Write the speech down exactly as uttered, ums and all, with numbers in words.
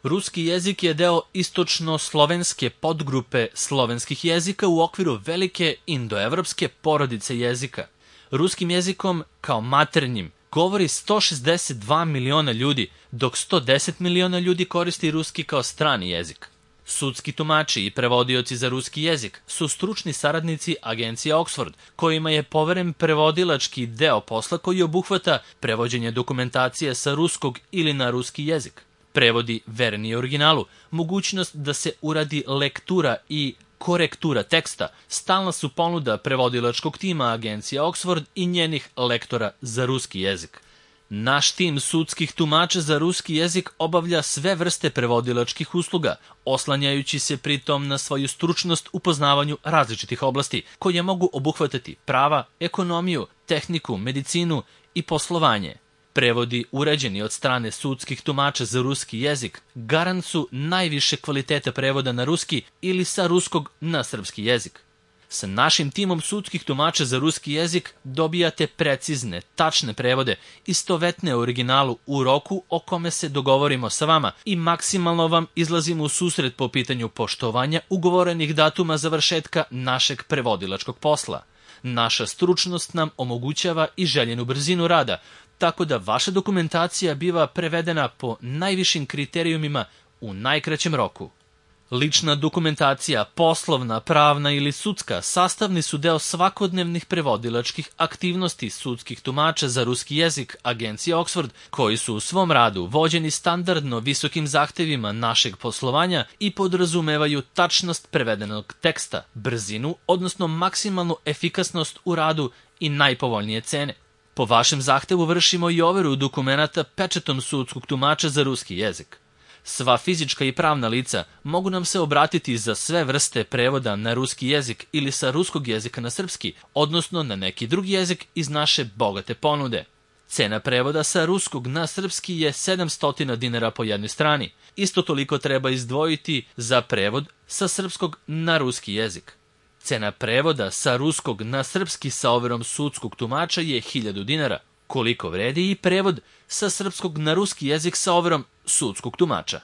Ruski jezik je deo istočno-slovenske podgrupe slovenskih jezika u okviru velike indoevropske porodice jezika. Ruskim jezikom, kao maternjim, govori sto šezdeset dva miliona ljudi, dok sto deset miliona ljudi koristi ruski kao strani jezik. Sudski tumači i prevodioci za ruski jezik su stručni saradnici agencije Oxford, kojima je poveren prevodilački deo posla koji obuhvata prevođenje dokumentacije sa ruskog ili na ruski jezik, prevodi verni originalu, mogućnost da se uradi lektura i korektura teksta, stalna su ponuda prevodilačkog tima agencije Oxford i njenih lektora za ruski jezik. Naš tim sudskih tumača za ruski jezik obavlja sve vrste prevodilačkih usluga, oslanjajući se pritom na svoju stručnost u poznavanju različitih oblasti, koje mogu obuhvatati prava, ekonomiju, tehniku, medicinu i poslovanje. Prevodi uređeni od strane sudskih tumača za ruski jezik garant su najviše kvaliteta prevoda na ruski ili sa ruskog na srpski jezik. Sa našim timom sudskih tumača za ruski jezik dobijate precizne, tačne prevode, istovetne originalu u roku o kome se dogovorimo sa vama i maksimalno vam izlazimo u susret po pitanju poštovanja ugovorenih datuma završetka našeg prevodilačkog posla. Naša stručnost nam omogućava i željenu brzinu rada, tako da vaša dokumentacija biva prevedena po najvišim kriterijumima u najkraćem roku. Lična dokumentacija, poslovna, pravna ili sudska, sastavni su deo svakodnevnih prevodilačkih aktivnosti sudskih tumača za ruski jezik agencije Oxford, koji su u svom radu vođeni standardno visokim zahtevima našeg poslovanja i podrazumevaju tačnost prevedenog teksta, brzinu, odnosno maksimalnu efikasnost u radu i najpovoljnije cene. Po vašem zahtevu vršimo i overu dokumenata pečatom sudskog tumača za ruski jezik. Sva fizička i pravna lica mogu nam se obratiti za sve vrste prevoda na ruski jezik ili sa ruskog jezika na srpski, odnosno na neki drugi jezik iz naše bogate ponude. Cena prevoda sa ruskog na srpski je sedamsto dinara po jednoj strani. Isto toliko treba izdvojiti za prevod sa srpskog na ruski jezik. Cena prevoda sa ruskog na srpski sa overom sudskog tumača je hiljadu dinara, koliko vredi i prevod sa srpskog na ruski jezik sa overom sudskog tumača.